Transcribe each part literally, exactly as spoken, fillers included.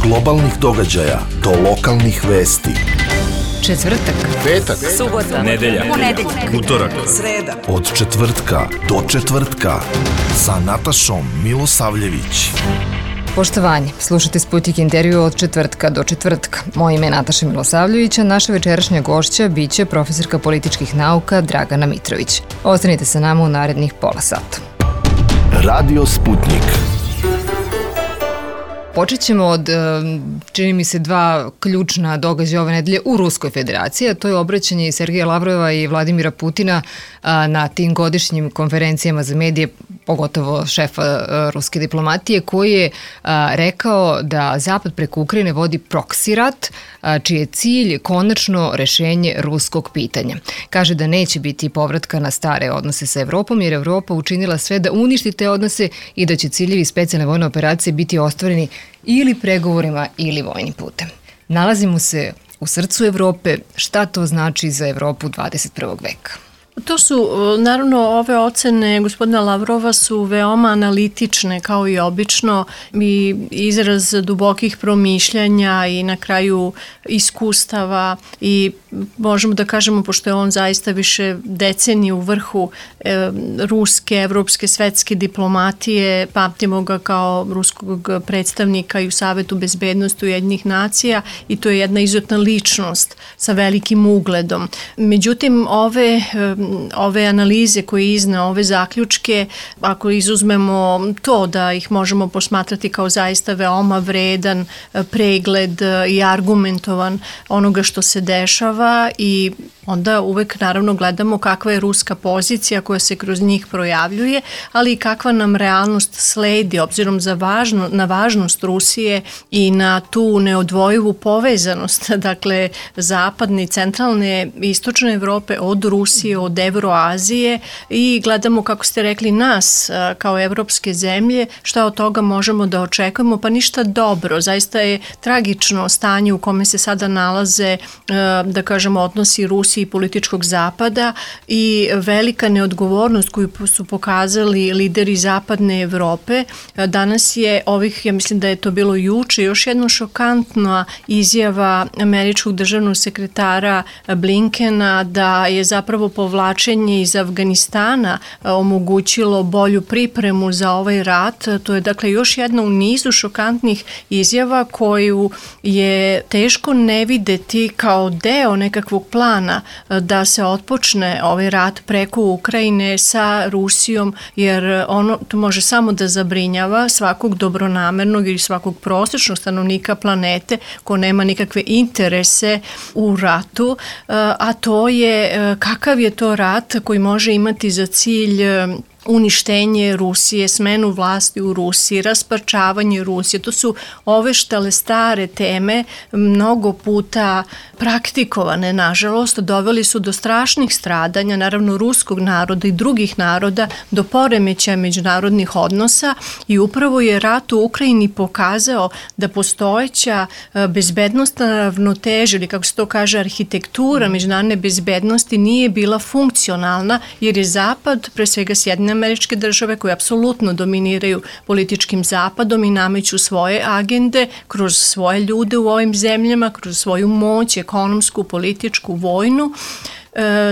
globalnih događaja do lokalnih vesti. Četvrtak, petak, subota, nedelja, ponedeljak, utorak, sreda. Od četvrtka do četvrtka sa Natašom Milosavljević. Poštovanje, slušate Sputnik intervju od četvrtka do četvrtka. Moje ime je Nataša Milosavljević, a naša večerašnja gošća biće profesorka političkih nauka Dragana Mitrović. Ostanite sa nama u narednih pola sata. Radio Sputnik. Počet ćemo od, čini mi se, dva ključna događaja ove nedelje u Ruskoj federaciji, a to je obraćanje Sergeja Lavrova i Vladimira Putina na tim godišnjim konferencijama za medije, pogotovo šefa ruske diplomatije, koji je rekao da Zapad preko Ukrajine vodi proksi rat, čiji je cilj konačno rešenje ruskog pitanja. Kaže da neće biti povratka na stare odnose sa Evropom, jer Evropa učinila sve da uništi te odnose i da će ciljevi specijalne vojne operacije biti ostvareni ili pregovorima ili vojnim putem. Nalazimo se u srcu Evrope. Šta to znači za Evropu dvadeset prvog veka? To su, naravno, ove ocene gospodina Lavrova su veoma analitične, kao i obično, i izraz dubokih promišljanja i na kraju iskustava, i možemo da kažemo, pošto je on zaista više decenije u vrhu e, ruske, evropske, svetske diplomatije, pamtimo ga kao ruskog predstavnika i u Savetu bezbednosti Ujedinjenih nacija, i to je jedna izuzetna ličnost sa velikim ugledom. Međutim, ove ove analize koje izne, ove zaključke, ako izuzmemo to da ih možemo posmatrati kao zaista veoma vredan pregled i argumentovan onoga što se dešava, i onda uvek naravno gledamo kakva je ruska pozicija koja se kroz njih projavljuje, ali i kakva nam realnost sledi, obzirom za važno, na važnost Rusije i na tu neodvojivu povezanost, dakle, zapadne, centralne i istočne Evrope od Rusije, od Evroazije, i gledamo, kako ste rekli, nas kao evropske zemlje, šta od toga možemo da očekujemo, pa ništa dobro. Zaista je tragično stanje u kome se sada nalaze, da kažemo, odnosi Rusije i političkog zapada, i velika neodgovornost koju su pokazali lideri zapadne Evrope. Danas je ovih, ja mislim da je to bilo juče, još jedna šokantna izjava američkog državnog sekretara Blinkena da je zapravo povlačenje iz Afganistana omogućilo bolju pripremu za ovaj rat. To je, dakle, još jedna u nizu šokantnih izjava koju je teško ne videti kao deo nekakvog plana da se otpočne ovaj rat preko Ukrajine sa Rusijom, jer ono to može samo da zabrinjava svakog dobronamernog ili svakog prosječnog stanovnika planete ko nema nikakve interese u ratu, a to je kakav je to rat koji može imati za cilj uništenje Rusije, smenu vlasti u Rusiji, rasparčavanje Rusije. To su ove štale stare teme, mnogo puta praktikovane, nažalost, doveli su do strašnih stradanja, naravno, ruskog naroda i drugih naroda, do poremećaja međunarodnih odnosa, i upravo je rat u Ukrajini pokazao da postojeća bezbednostna ravnoteža, ili kako se to kaže, arhitektura međunarodne bezbednosti nije bila funkcionalna, jer je Zapad, pre svega Sjedinjene Američke Države, koje apsolutno dominiraju političkim zapadom i nameću svoje agende kroz svoje ljude u ovim zemljama, kroz svoju moć, ekonomsku, političku, vojnu,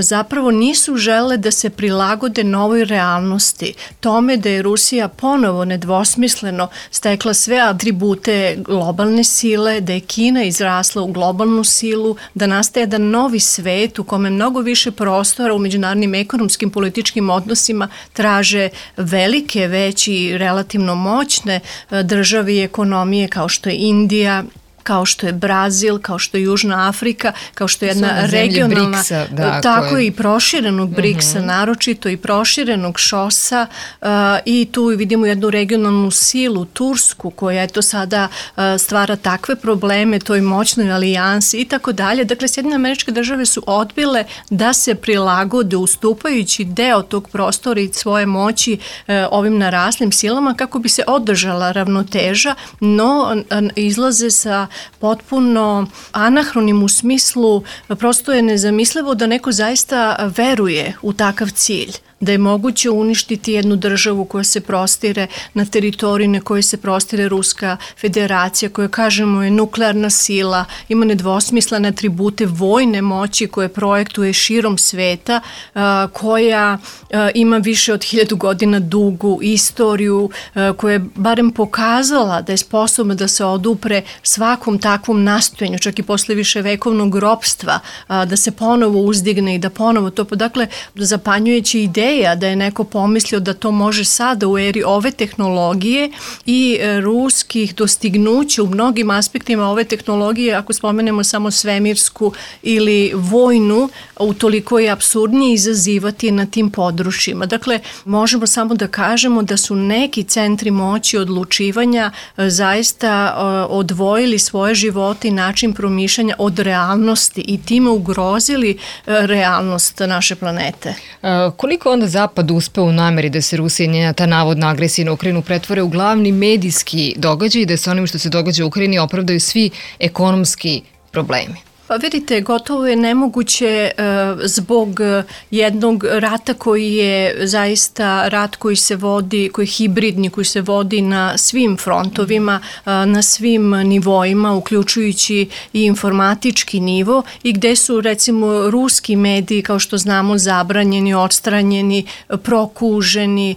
zapravo nisu žele da se prilagode novoj realnosti, tome da je Rusija ponovo nedvosmisleno stekla sve atribute globalne sile, da je Kina izrasla u globalnu silu, da nastaje jedan novi svet u kome mnogo više prostora u međunarodnim ekonomskim političkim odnosima traže velike, veći, relativno moćne države i ekonomije kao što je Indija, kao što je Brazil, kao što je Južna Afrika, kao što je jedna regionalna, Briksa, da, tako je i proširenog Briksa, uh-huh. naročito i proširenog šosa, uh, i tu vidimo jednu regionalnu silu, Tursku, koja eto sada uh, stvara takve probleme toj moćnoj alijansi i tako dalje. Dakle, Sjedinjene Američke Države su odbile da se prilagode, ustupajući deo tog prostora i svoje moći uh, ovim naraslim silama kako bi se održala ravnoteža, no uh, izlaze sa potpuno anahronim u smislu, prosto je nezamislivo da neko zaista veruje u takav cilj. da je moguće uništiti jednu državu koja se prostire na teritoriji na kojoj se prostire Ruska federacija, koja kažemo je nuklearna sila, ima nedvosmislene atribute vojne moći koje projektuje širom sveta, koja ima više od hiljadu godina dugu istoriju, koja je barem pokazala da je sposobna da se odupre svakom takvom nastojanju, čak i posle više vekovnog ropstva, da se ponovo uzdigne i da ponovo to, dakle, zapanjujući ideja da je neko pomislio da to može sada u eri ove tehnologije i ruskih dostignuća u mnogim aspektima ove tehnologije, ako spomenemo samo svemirsku ili vojnu, utoliko je apsurdnije izazivati na tim područjima. Dakle, možemo samo da kažemo da su neki centri moći odlučivanja zaista odvojili svoje živote i način promišljanja od realnosti i time ugrozili realnost naše planete. A, koliko onda Zapad uspeo u nameri da se Rusija i njena ta navodna agresija na Ukrajinu pretvore u glavni medijski događaj i da se onim što se događa u Ukrajini opravdaju svi ekonomski problemi? Pa vidite, gotovo je nemoguće zbog jednog rata koji je zaista rat koji se vodi, koji je hibridni, koji se vodi na svim frontovima, na svim nivoima, uključujući i informatički nivo i gde su recimo ruski mediji, kao što znamo, zabranjeni, odstranjeni, prokuženi,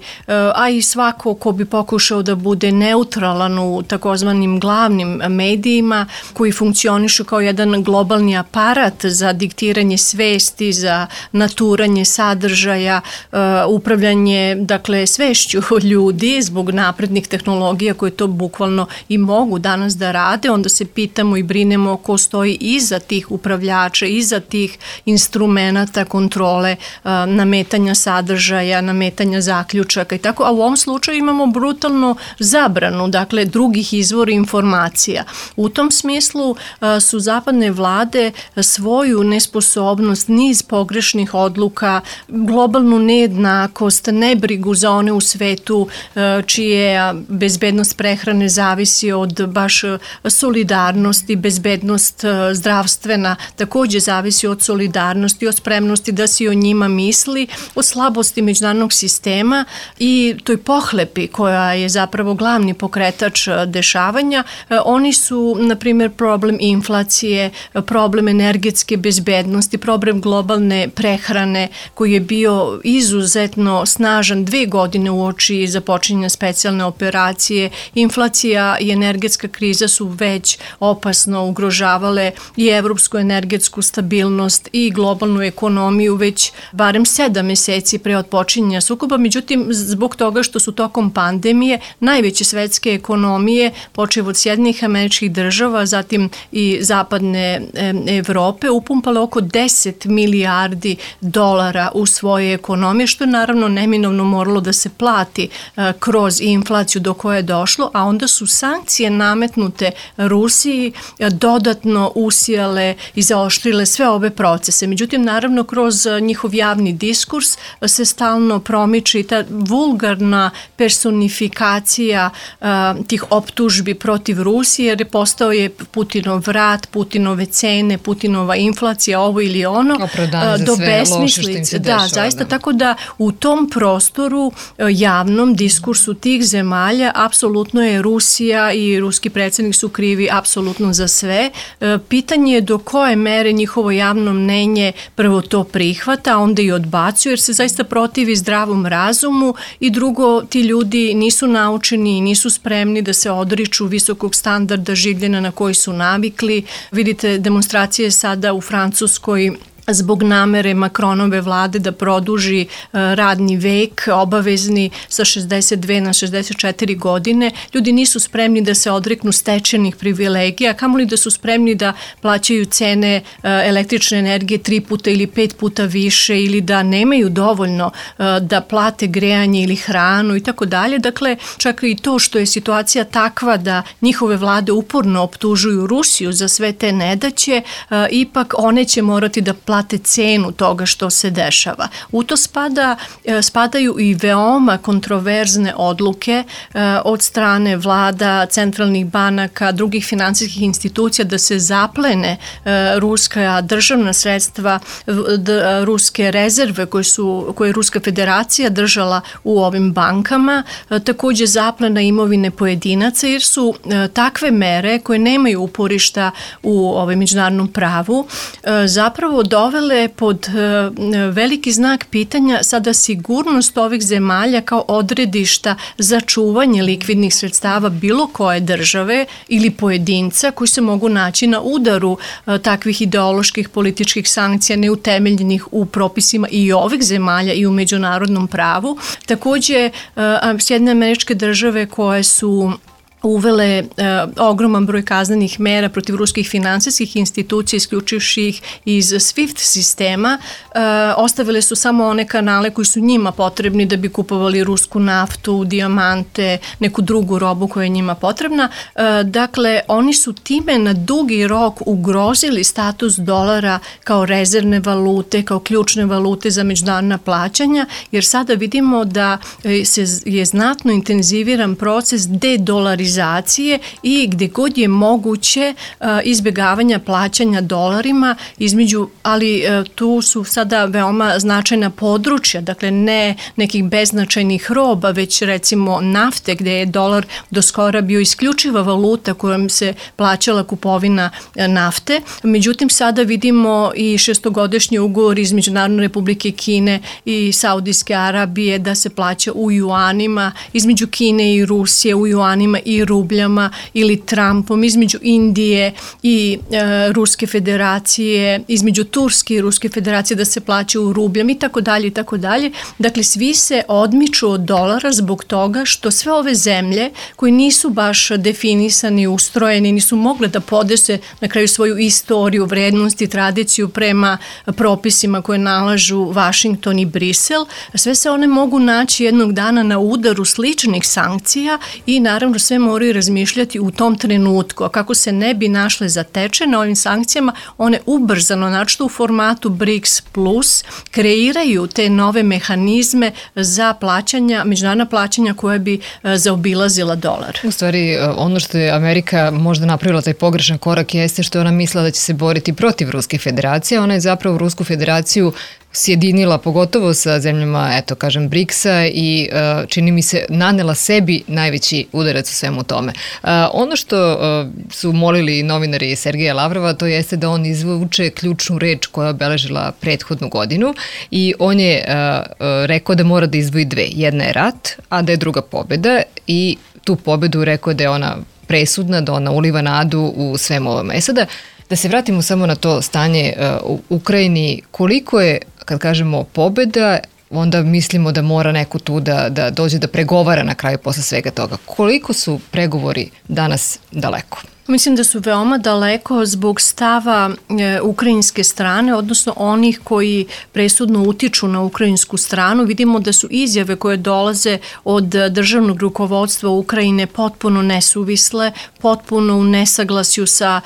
a i svako ko bi pokušao da bude neutralan u takozvanim glavnim medijima koji funkcionišu kao jedan globalni aparat za diktiranje svesti, za naturanje sadržaja, uh, upravljanje, dakle, svešću ljudi zbog naprednih tehnologija koje to bukvalno i mogu danas da rade, onda se pitamo i brinemo ko stoji iza tih upravljača, iza tih instrumenata kontrole, uh, nametanja sadržaja, nametanja zaključaka i tako, a u ovom slučaju imamo brutalnu zabranu, dakle, drugih izvora informacija. U tom smislu uh, su zapadne vlade svoju nesposobnost, niz pogrešnih odluka, globalnu nejednakost, nebrigu za one u svetu čije bezbednost prehrane zavisi od baš solidarnosti, bezbednost zdravstvena takođe zavisi od solidarnosti, od spremnosti da se o njima misli, od slabosti međunarodnog sistema i toj pohlepi koja je zapravo glavni pokretač dešavanja. Oni su, na primjer, problem inflacije, problem energetske bezbednosti, problem globalne prehrane koji je bio izuzetno snažan dve godine uoči započinjanja specijalne operacije. Inflacija i energetska kriza su već opasno ugrožavale i evropsku energetsku stabilnost i globalnu ekonomiju već barem sedam meseci pre otpočinjanja sukoba. Međutim, zbog toga što su tokom pandemije najveće svetske ekonomije, počev od Sjedinjenih Američkih Država, zatim i zapadne Evrope, upumpale oko deset milijardi dolara u svoje ekonomije, što je naravno neminovno moralo da se plati kroz inflaciju do koje je došlo, a onda su sankcije nametnute Rusiji dodatno usijale i zaoštrile sve ove procese. Međutim, naravno, kroz njihov javni diskurs se stalno promiče i ta vulgarna personifikacija uh, tih optužbi protiv Rusije, jer je postao je Putinov rat, Putinove cene, Putinova inflacija, ovo ili ono, Opravdanje do za besmislice. Da, dešava, zaista, da. Tako da u tom prostoru javnom diskursu tih zemalja apsolutno je Rusija i ruski predsjednik su krivi apsolutno za sve. Pitanje je do koje mere njihovo javno mnenje prvo to prihvata, a onda i odbacuje, jer se zaista protivi zdravom razumu i drugo, ti ljudi nisu naučeni i nisu spremni da se odriču visokog standarda življenja na koji su navikli. Vidite demonstracije sada u Francuskoj zbog namere Macronove vlade da produži radni vek obavezni sa šezdeset dve na šezdeset četiri godine. Ljudi nisu spremni da se odreknu stečenih privilegija, kamoli da su spremni da plaćaju cene električne energije tri puta ili pet puta više ili da nemaju dovoljno da plate grejanje ili hranu i tako dalje. Dakle, čak i to što je situacija takva da njihove vlade uporno optužuju Rusiju za sve te nedaće, ipak one će morati da plaćaju plate cenu toga što se dešava. U to spada, spadaju i veoma kontroverzne odluke od strane vlada, centralnih banaka, drugih finansijskih institucija da se zaplene ruska državna sredstva, ruske rezerve koje su, koje je Ruska federacija držala u ovim bankama, takođe zaplena imovine pojedinaca, jer su takve mere koje nemaju uporišta u ovaj međunarodnom pravu zapravo dovele pod veliki znak pitanja sada sigurnost ovih zemalja kao odredišta za čuvanje likvidnih sredstava bilo koje države ili pojedinca koji se mogu naći na udaru takvih ideoloških političkih sankcija neutemeljenih u propisima i ovih zemalja i u međunarodnom pravu. Takođe, Sjedinjene Američke Države koje su uvele e, ogroman broj kaznenih mera protiv ruskih finansijskih institucija, isključivši ih iz SWIFT sistema, e, ostavile su samo one kanale koji su njima potrebni da bi kupovali rusku naftu, dijamante, neku drugu robu koja je njima potrebna. E, dakle, oni su time na dugi rok ugrozili status dolara kao rezervne valute, kao ključne valute za međunarodna plaćanja, jer sada vidimo da se je znatno intenziviran proces dedolarizacije i gde god je moguće izbjegavanja plaćanja dolarima između, ali tu su sada veoma značajna područja, dakle ne nekih beznačajnih roba, već recimo nafte gde je dolar do skora bio isključiva valuta kojom se plaćala kupovina nafte. Međutim, sada vidimo i šestogodišnji ugovor između Narodne Republike Kine i Saudijske Arabije da se plaća u juanima, između Kine i Rusije u juanima i rubljama, ili Trumpom, između Indije i e, Ruske federacije, između Turske i Ruske federacije da se plaća u rubljama i tako dalje i tako dalje. Dakle, svi se odmiču od dolara zbog toga što sve ove zemlje koji nisu baš definisani, ustrojeni, nisu mogle da podese na kraju svoju istoriju, vrednost i tradiciju prema propisima koje nalažu Vašington i Brisel, sve se one mogu naći jednog dana na udaru sličnih sankcija i naravno sve moraju razmišljati u tom trenutku. A kako se ne bi našle zatečene ovim sankcijama, one ubrzano, znači u formatu BRICS plus, kreiraju te nove mehanizme za plaćanja, međunarodna plaćanja koja bi zaobilazila dolar. U stvari, ono što je Amerika možda napravila taj pogrešan korak jeste što ona mislila da će se boriti protiv Ruske federacije. Ona je zapravo Rusku federaciju sjedinila pogotovo sa zemljama, eto kažem, briksa i uh, čini mi se nanela sebi najveći udarac u svemu tome. Uh, ono što uh, su molili novinari Sergeja Lavrova, to jeste da on izvuče ključnu reč koja je obeležila prethodnu godinu i on je uh, uh, rekao da mora da izdvoji dve. Jedna je rat, a da je druga pobjeda i tu pobjedu rekao da je ona presudna, da ona uliva nadu u svemu ovome. E sada, da se vratimo samo na to stanje uh, u Ukrajini, koliko je, kad kažemo pobjeda, onda mislimo da mora neko tu da, da dođe da pregovara na kraju posle svega toga. Koliko su pregovori danas daleko? Mislim da su veoma daleko zbog stava e, ukrajinske strane, odnosno onih koji presudno utiču na ukrajinsku stranu. Vidimo da su izjave koje dolaze od državnog rukovodstva Ukrajine potpuno nesuvisle, potpuno u nesaglasju sa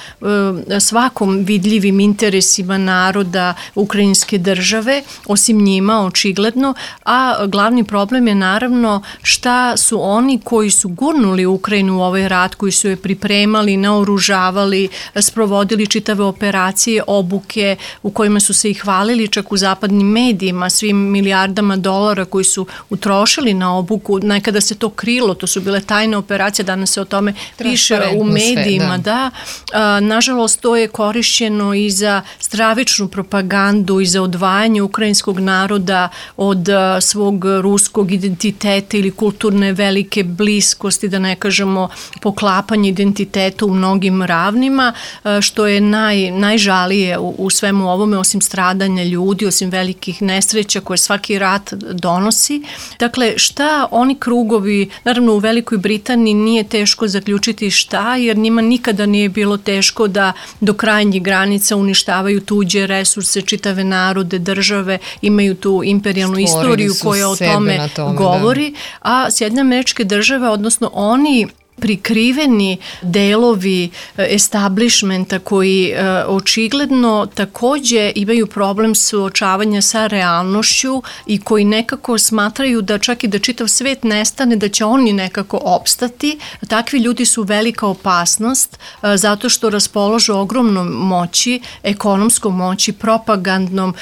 e, svakom vidljivim interesima naroda ukrajinske države, osim njima očigledno, a glavni problem je naravno šta su oni koji su gurnuli Ukrajinu u ovaj rat, koji su je pripremali, naoružavali, sprovodili čitave operacije, obuke u kojima su se i hvalili čak u zapadnim medijima svim milijardama dolara koji su utrošili na obuku. Nekada se to krilo, to su bile tajne operacije, danas se o tome piše u medijima. Sve, da. Da. A, nažalost, to je korišćeno i za stravičnu propagandu i za odvajanje ukrajinskog naroda od a, svog ruskog identiteta ili kulturne velike bliskosti, da ne kažemo poklapanje identiteta u mnogim ravnima, što je naj, najžalije u, u svemu ovome, osim stradanja ljudi, osim velikih nesreća koje svaki rat donosi. Dakle, šta oni krugovi, naravno u Velikoj Britaniji nije teško zaključiti šta, jer njima nikada nije bilo teško da do krajnjih granica uništavaju tuđe resurse, čitave narode, države, imaju tu imperijalnu Stvorili istoriju koja o tome, tome govori, da. A Sjedinjene Američke Države, odnosno oni prikriveni delovi establishmenta koji očigledno takođe imaju problem suočavanja sa realnošću i koji nekako smatraju da čak i da čitav svet nestane, da će oni nekako opstati. Takvi ljudi su velika opasnost zato što raspoložu ogromnom moći, ekonomskom moći, propagandnom,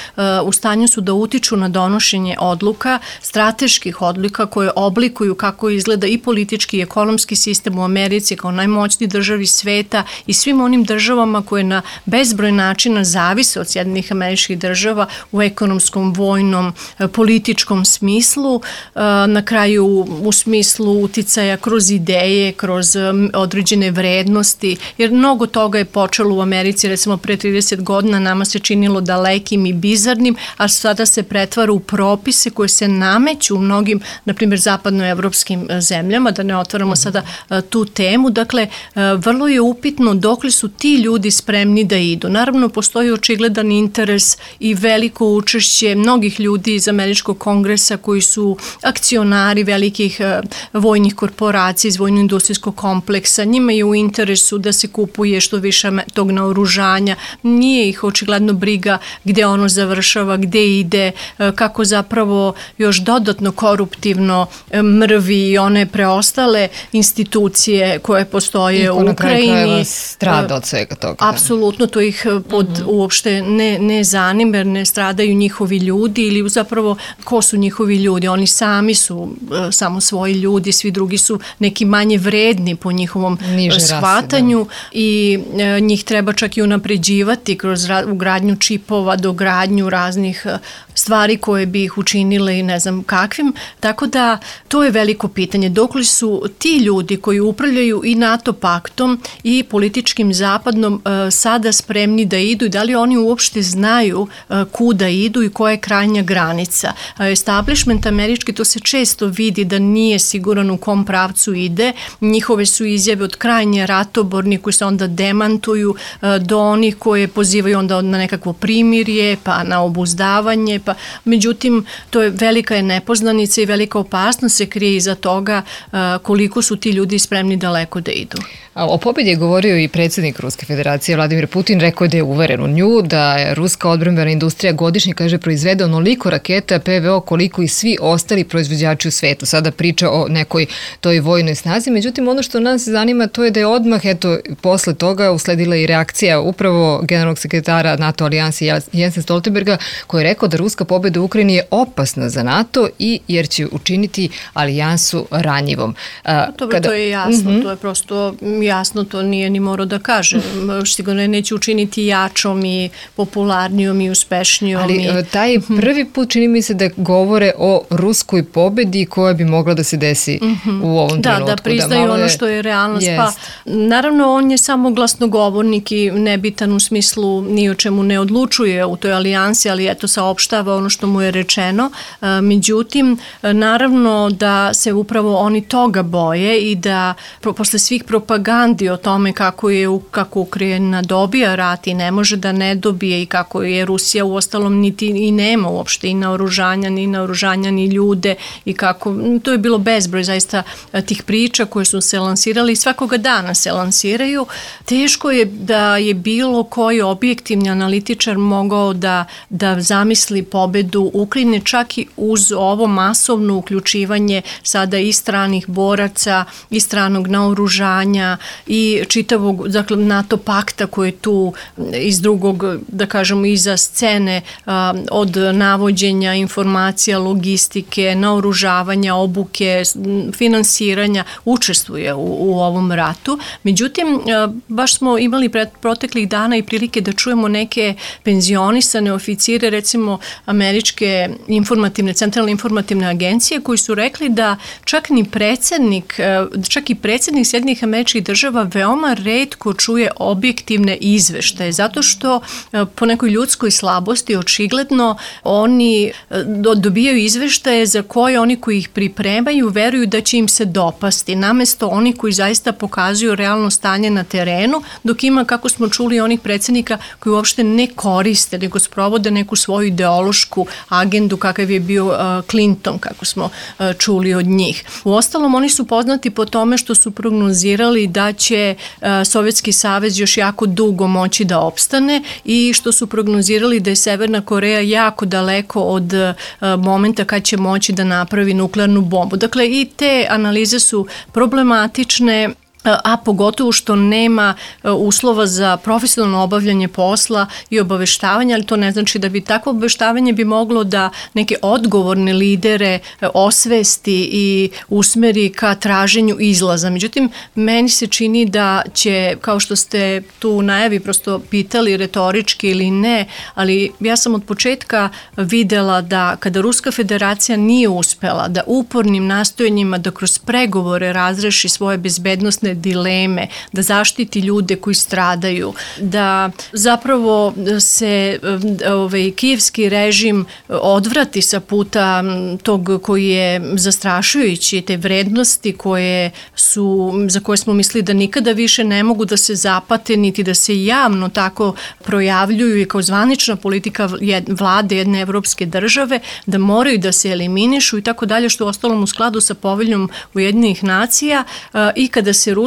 u stanju su da utiču na donošenje odluka, strateških odluka koje oblikuju kako izgleda i politički i ekonomski sistem u Americi kao najmoćniji državi sveta i svim onim državama koje na bezbroj načina zavise od Sjedinjenih Američkih Država u ekonomskom, vojnom, političkom smislu, na kraju u smislu uticaja kroz ideje, kroz određene vrednosti, jer mnogo toga je počelo u Americi, recimo pre trideset godina nama se činilo dalekim i bizarnim, a sada se pretvara u propise koje se nameću u mnogim, na primjer, zapadnoevropskim zemljama, da ne otvaramo sada tu temu. Dakle, vrlo je upitno dokle su ti ljudi spremni da idu. Naravno, postoji očigledan interes i veliko učešće mnogih ljudi iz Američkog kongresa koji su akcionari velikih vojnih korporacija iz vojno-industrijskog kompleksa. Njima je u interesu da se kupuje što više tog naoružanja. Nije ih očigledno briga gde ono završava, gde ide, kako zapravo još dodatno koruptivno mrvi i one preostale institucije koje postoje u Ukrajini. Na kraju strada od svega toga. Apsolutno, to ih pod, mm-hmm. uopšte ne, ne zanima, jer ne stradaju njihovi ljudi ili zapravo ko su njihovi ljudi. Oni sami su uh, samo svoji ljudi, svi drugi su neki manje vredni po njihovom Niže shvatanju rase, i uh, njih treba čak i unapređivati kroz ra- ugradnju čipova, dogradnju raznih uh, stvari koje bi ih učinile i ne znam kakvim. Tako da to je veliko pitanje. Dokle su ti ljudi koji upravljaju i NATO paktom i političkim zapadnom uh, sada spremni da idu i da li oni uopšte znaju uh, kuda idu i koja je krajnja granica. Uh, establishment američki, to se često vidi da nije siguran u kom pravcu ide. Njihove su izjave od krajnje ratoborni koji se onda demantuju uh, do onih koje pozivaju onda na nekakvo primirje, pa na obuzdavanje, pa međutim to je velika je nepoznanica i velika opasnost se krije iza toga uh, koliko su ti ljudi spremni daleko da idu. O pobjedi je govorio i predsjednik Ruske federacije Vladimir Putin, rekao da je uveren u nju, da je ruska odbrambena industrija godišnje, kaže, proizvede onoliko raketa P V O koliko i svi ostali proizvođači u svetu. Sada priča o nekoj toj vojnoj snazi, međutim ono što nas zanima to je da je odmah, eto, posle toga usledila i reakcija upravo generalnog sekretara NATO alijanse Jensa Stoltenberga, koji je rekao da ruska pobjeda u Ukrajini je opasna za NATO i jer će učiniti alijansu ranjivom. Dobro, Kada... to je jasno, mm-hmm. to je prosto jasno, to nije ni morao da kaže. Sigurno neće učiniti jačom i popularnijom i uspešnijom. Ali i... taj prvi put čini mi se da govore o ruskoj pobedi koja bi mogla da se desi mm-hmm. u ovom da, trenutku. Da, da priznaju da ono što je realnost. Jest. Pa, naravno, on je samo glasnogovornik i nebitan u smislu ni o čemu ne odlučuje u toj alijansi, ali eto saopštava ono što mu je rečeno. Međutim, naravno da se upravo oni toga boje i da posle svih propagandi o tome kako je kako Ukrajina dobija rat i ne može da ne dobije i kako je Rusija u ostalom niti i nema uopšte i naoružanja, ni naoružanja, ni ljude i kako, to je bilo bezbroj zaista tih priča koje su se lansirali i svakoga dana se lansiraju. Teško je da je bilo koji objektivni analitičar mogao da, da zamisli pobedu Ukrajine čak i uz ovo masovno uključivanje sada i stranih boraca i stranog naoružanja i čitavog, dakle, NATO pakta koji je tu iz drugog, da kažemo, iza scene a, od navođenja informacija, logistike, naoružavanja, obuke, finansiranja, učestvuje u, u ovom ratu. Međutim, a, baš smo imali pred proteklih dana i prilike da čujemo neke penzionisane oficire, recimo američke informativne, centralne informativne agencije, koji su rekli da čak ni predsjednik, čak i predsjednik Sjedinjenih Američkih Država država veoma retko čuje objektivne izveštaje, zato što po nekoj ljudskoj slabosti očigledno oni dobijaju izveštaje za koje oni koji ih pripremaju veruju da će im se dopasti, namesto oni koji zaista pokazuju realno stanje na terenu, dok ima, kako smo čuli, onih predsjednika koji uopšte ne koriste, nego sprovode neku svoju ideološku agendu kakav je bio Clinton, kako smo čuli od njih. Uostalom, oni su poznati po tome što su prognozirali da će Sovjetski savez još jako dugo moći da opstane i što su prognozirali da je Severna Koreja jako daleko od momenta kad će moći da napravi nuklearnu bombu. Dakle, i te analize su problematične, a pogotovo što nema uslova za profesionalno obavljanje posla i obaveštavanja, ali to ne znači da bi takvo obaveštavanje bi moglo da neke odgovorne lidere osvesti i usmeri ka traženju izlaza. Međutim, meni se čini da će, kao što ste tu u najavi prosto pitali retorički ili ne, ali ja sam od početka videla da kada Ruska federacija nije uspela da upornim nastojanjima da kroz pregovore razreši svoje bezbednosne dileme, da zaštiti ljude koji stradaju, da zapravo se ovaj, kijevski režim odvrati sa puta tog koji je zastrašujući, te vrednosti koje su, za koje smo mislili da nikada više ne mogu da se zapate, niti da se javno tako projavljuju i kao zvanična politika vlade jedne evropske države, da moraju da se eliminišu i tako dalje, što je ostalom u skladu sa poveljom Ujedinjenih nacija i kada se Rusija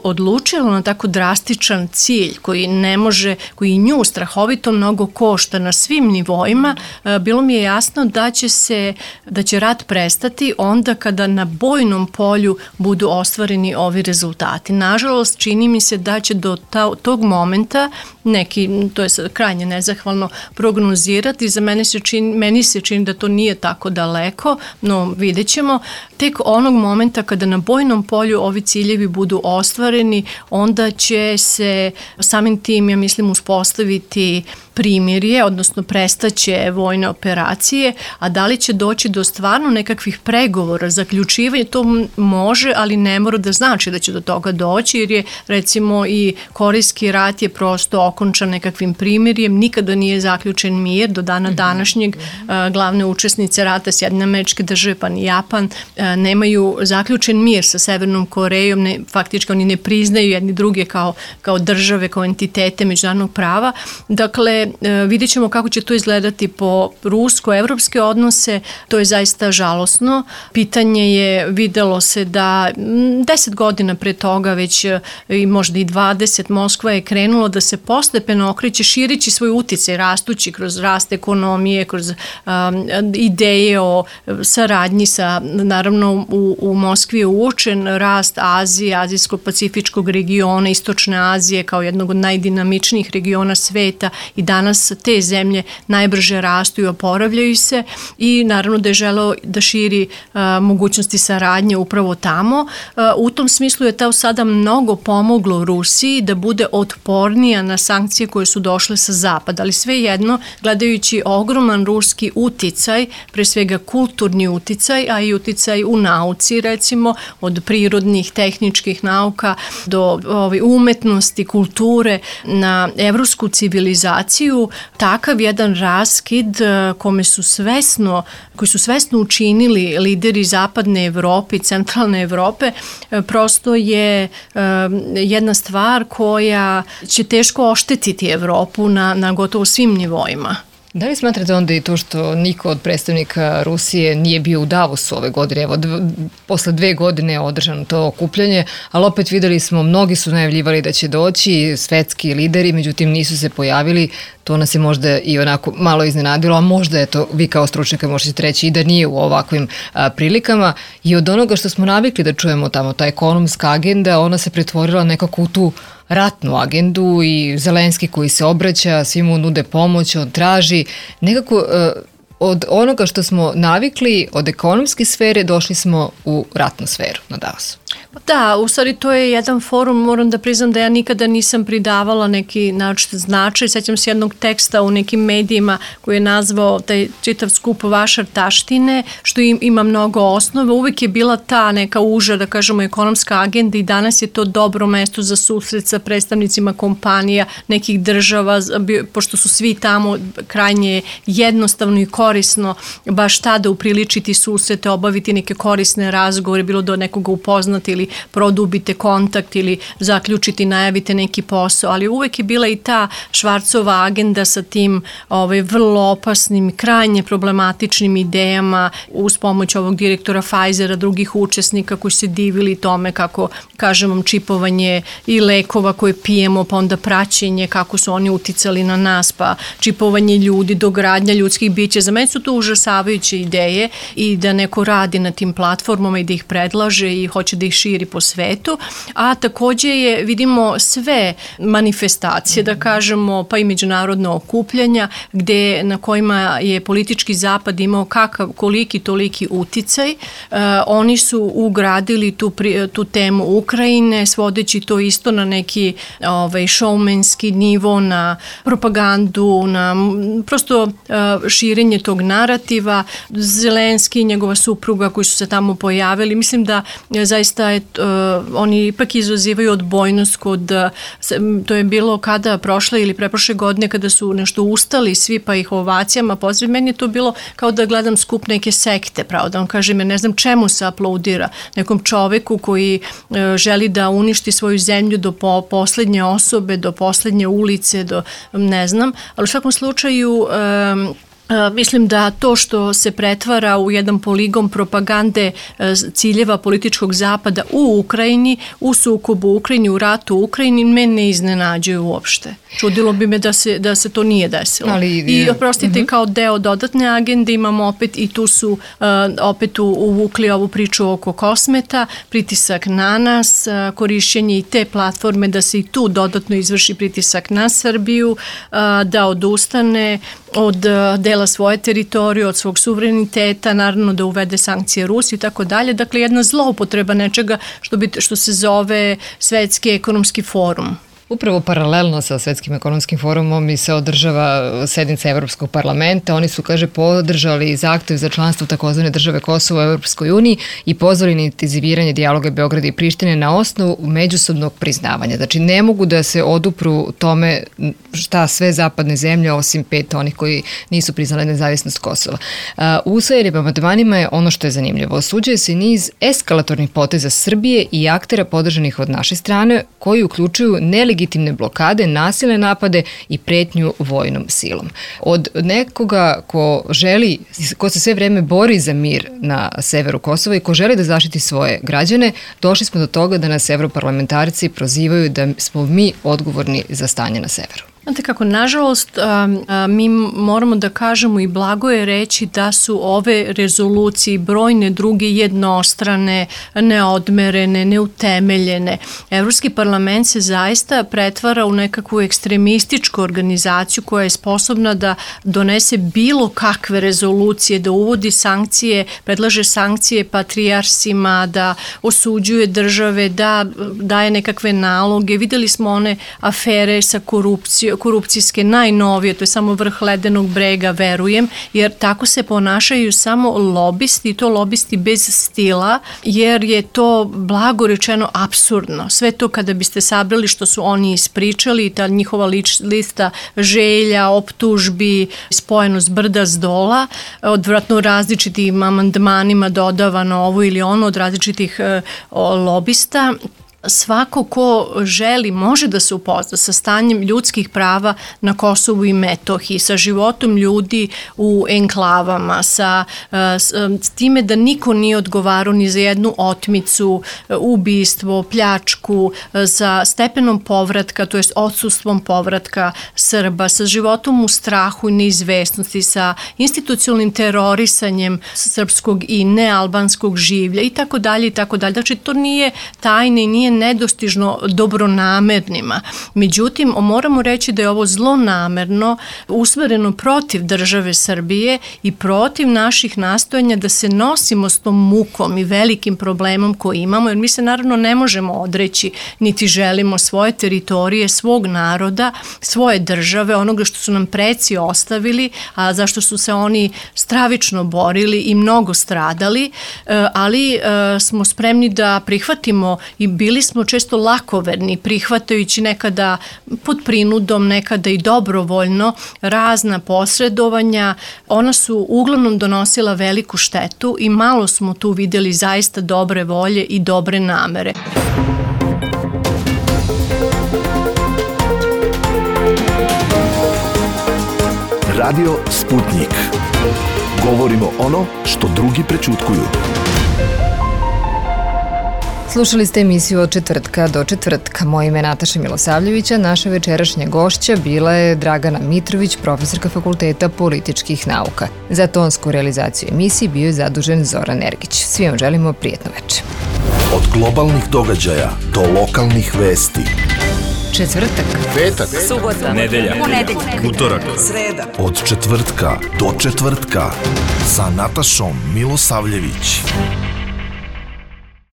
odlučila na tako drastičan cilj koji ne može, koji nju strahovito mnogo košta na svim nivoima, bilo mi je jasno da će se, da će rat prestati onda kada na bojnom polju budu ostvareni ovi rezultati. Nažalost, čini mi se da će do ta, tog momenta neki, to je krajnje nezahvalno prognozirati, za mene se čini, meni se čini da to nije tako daleko, no vidjet ćemo. Tek onog momenta kada na bojnom polju ovi ciljevi budu ostvareni, onda će se samim tim, ja mislim, uspostaviti primirje, odnosno prestaće vojne operacije, a da li će doći do stvarno nekakvih pregovora, zaključivanja, to može, ali ne mora da znači da će do toga doći, jer je recimo i Korejski rat je prosto okončan nekakvim primirjem, nikada nije zaključen mir, do dana današnjeg glavne učesnice rata, Sjedinjene Američke Države pa ni Japan, nemaju zaključen mir sa Severnom Korejom, ne, faktički oni ne priznaju jedni druge kao, kao države, kao entitete međunarodnog prava. Dakle, vidjet ćemo kako će to izgledati po rusko-evropske odnose, to je zaista žalosno. Pitanje je, videlo se da deset godina pre toga, već i možda i dvadeset, Moskva je krenula da se postepeno okreće širići svoj uticaj, rastući kroz rast ekonomije, kroz um, ideje o saradnji sa, naravno u, u Moskvi je uočen rast Azije, Azijsko-pacifičkog regiona, Istočne Azije kao jednog od najdinamičnijih regiona sveta i danas te zemlje najbrže rastu i oporavljaju se i naravno da je želeo da širi uh, mogućnosti saradnje upravo tamo. Uh, u tom smislu je to sada mnogo pomoglo Rusiji da bude otpornija na sankcije koje su došle sa zapada, ali svejedno, gledajući ogroman ruski uticaj, pre svega kulturni uticaj, a i uticaj u nauci, recimo, od prirodnih, tehničkih nauka do ove, umetnosti, kulture na evropsku civilizaciju, takav jedan raskid kome su svesno, koji su svesno učinili lideri zapadne Evrope i centralne Evrope, prosto je jedna stvar koja će teško oštetiti Evropu na, na gotovo svim nivoima. Da li smatrate onda i to što niko od predstavnika Rusije nije bio u Davosu ove godine? Evo, dv, posle dve godine je održano to okupljanje, ali opet videli smo, mnogi su najavljivali da će doći svetski lideri, međutim nisu se pojavili. To nas je možda i onako malo iznenadilo, a možda je to, vi kao stručnjaka možete reći i da nije u ovakvim a, prilikama. I od onoga što smo navikli da čujemo tamo, ta ekonomska agenda, ona se pretvorila nekako u tu ratnu agendu i Zelenski koji se obraća, svi mu nude pomoć, on traži. Nekako od onoga što smo navikli, od ekonomske sfere, došli smo u ratnu sferu na Davosu. Da, u stvari to je jedan forum, moram da priznam da ja nikada nisam pridavala neki način značaj. Sećam se jednog teksta u nekim medijima koji je nazvao taj čitav skup Vašar taštine, što im, ima mnogo osnove. Uvijek je bila ta neka uža, da kažemo, ekonomska agenda i danas je to dobro mesto za susret sa predstavnicima kompanija, nekih država, pošto su svi tamo, krajnje jednostavno i korisno baš tada upriličiti susrete, obaviti neke korisne razgovore, bilo do nekoga upoznati ili produbite kontakt ili zaključiti, najavite neki posao, ali uvek je bila i ta Švarcova agenda sa tim ovaj, vrlo opasnim, krajnje problematičnim idejama uz pomoć ovog direktora Pfizera, drugih učesnika koji se divili tome kako, kažem vam, čipovanje i lekova koje pijemo, pa onda praćenje, kako su oni uticali na nas, pa čipovanje ljudi, dogradnja ljudskih bića. Za mene su to užasavajuće ideje i da neko radi na tim platformama i da ih predlaže i hoće da ih širi po svetu, a takođe je, vidimo, sve manifestacije, da kažemo, pa i međunarodna okupljanja, gde, na kojima je politički zapad imao kakav, koliki, toliki uticaj. E, oni su ugradili tu, pri, tu temu Ukrajine, svodeći to isto na neki ovaj, showmanski nivo, na propagandu, na prosto e, širenje tog narativa. Zelenski i njegova supruga koji su se tamo pojavili, mislim da e, zaista je, uh, oni ipak izazivaju odbojnost kod, uh, to je bilo kada prošle ili preprošle godine kada su nešto ustali svi pa ih ovacijama pozdrav. Meni je to bilo kao da gledam skup neke sekte, pravo da on kaže, me ne znam čemu se aplaudira nekom čoveku koji uh, želi da uništi svoju zemlju do po, poslednje osobe, do poslednje ulice, do ne znam, ali u svakom slučaju um, Uh, mislim da to što se pretvara u jedan poligon propagande uh, ciljeva političkog zapada u Ukrajini, u sukobu u Ukrajini, u ratu u Ukrajini, mene ne iznenađuje uopšte. Čudilo bi me da se, da se to nije desilo. Ali, I oprostite, uh-huh. kao deo dodatne agende imamo opet i tu su uh, opet uvukli ovu priču oko kosmeta, pritisak na nas, uh, korišćenje i te platforme da se i tu dodatno izvrši pritisak na Srbiju, uh, da odustane od uh, dela svoje teritorije, od svog suvereniteta, naravno da uvede sankcije Rusiji i tako dalje. Dakle, jedna zloupotreba nečega što, bi, što se zove Svetski ekonomski forum. Upravo paralelno sa Svetskim ekonomskim forumom i se održava sednica Evropskog parlamenta. Oni su, kaže, podržali zahtev za članstvo takozvane države Kosovo u Evropskoj uniji i pozvali na intenziviranje dijaloga Beograda i Prištine na osnovu međusobnog priznavanja. Znači, ne mogu da se odupru tome šta sve zapadne zemlje, osim pet onih koji nisu priznali nezavisnost Kosova. U usvojenim amandmanima je ono što je zanimljivo. Osuđuje se niz eskalatornih poteza Srbije i aktera podržanih od naše strane, koji uključuju nelegitimne legitimne blokade, nasilne napade i pretnju vojnom silom. Od nekoga ko želi, ko se sve vreme bori za mir na severu Kosova i ko želi da zaštiti svoje građane, došli smo do toga da nas evroparlamentarci prozivaju da smo mi odgovorni za stanje na severu. Znate kako, nažalost, mi moramo da kažemo i blago je reći da su ove rezolucije, brojne druge jednostrane, neodmerene, neutemeljene. Evropski parlament se zaista pretvara u nekakvu ekstremističku organizaciju koja je sposobna da donese bilo kakve rezolucije, da uvodi sankcije, predlaže sankcije patrijarsima, da osuđuje države, da daje nekakve naloge. Videli smo one afere sa korupcijom, korupcijske najnovije, to je samo vrh ledenog brega, verujem, jer tako se ponašaju samo lobisti, i to lobisti bez stila, jer je to blago rečeno apsurdno. Sve to kada biste sabrali što su oni ispričali, ta njihova lič, lista želja, optužbi, spojenost brda s dola, odvratno različitim amandmanima dodavano ovo ili ono od različitih e, lobista. Svako ko želi može da se upozna sa stanjem ljudskih prava na Kosovu i Metohiji, sa životom ljudi u enklavama, sa s time da niko nije odgovarao ni za jednu otmicu, ubistvo, pljačku, sa stepenom povratka, to jest odsustvom povratka Srba, sa životom u strahu i neizvesnosti, sa institucionalnim terorisanjem srpskog i nealbanskog življa i tako dalje i tako dalje. Znači, to nije tajne i nije nije nedostižno dobronamernima. Međutim, moramo reći da je ovo zlonamerno, usmereno protiv države Srbije i protiv naših nastojanja da se nosimo s tom mukom i velikim problemom koji imamo, jer mi se naravno ne možemo odreći, niti želimo svoje teritorije, svog naroda, svoje države, onoga što su nam preci ostavili, a zašto su se oni stravično borili i mnogo stradali, ali smo spremni da prihvatimo i bili smo često lakoverni, prihvatajući nekada pod prinudom, nekada i dobrovoljno razna posredovanja. Ona su uglavnom donosila veliku štetu i malo smo tu videli zaista dobre volje i dobre namere. Radio Sputnik. Govorimo ono što drugi prećutkuju. Slušali ste emisiju od četvrtka do četvrtka. Moje ime je Nataša Milosavljevića. Naša večerašnja gošća bila je Dragana Mitrović, profesorka Fakulteta političkih nauka. Za tonsku realizaciju emisije bio je zadužen Zoran Ergić. Svi vam želimo prijetno večer. Od globalnih događaja do lokalnih vesti. Četvrtak, petak, subota, nedelja, ponedeljak, utorak, sreda. Od četvrtka do četvrtka sa Natašom Milosavljević.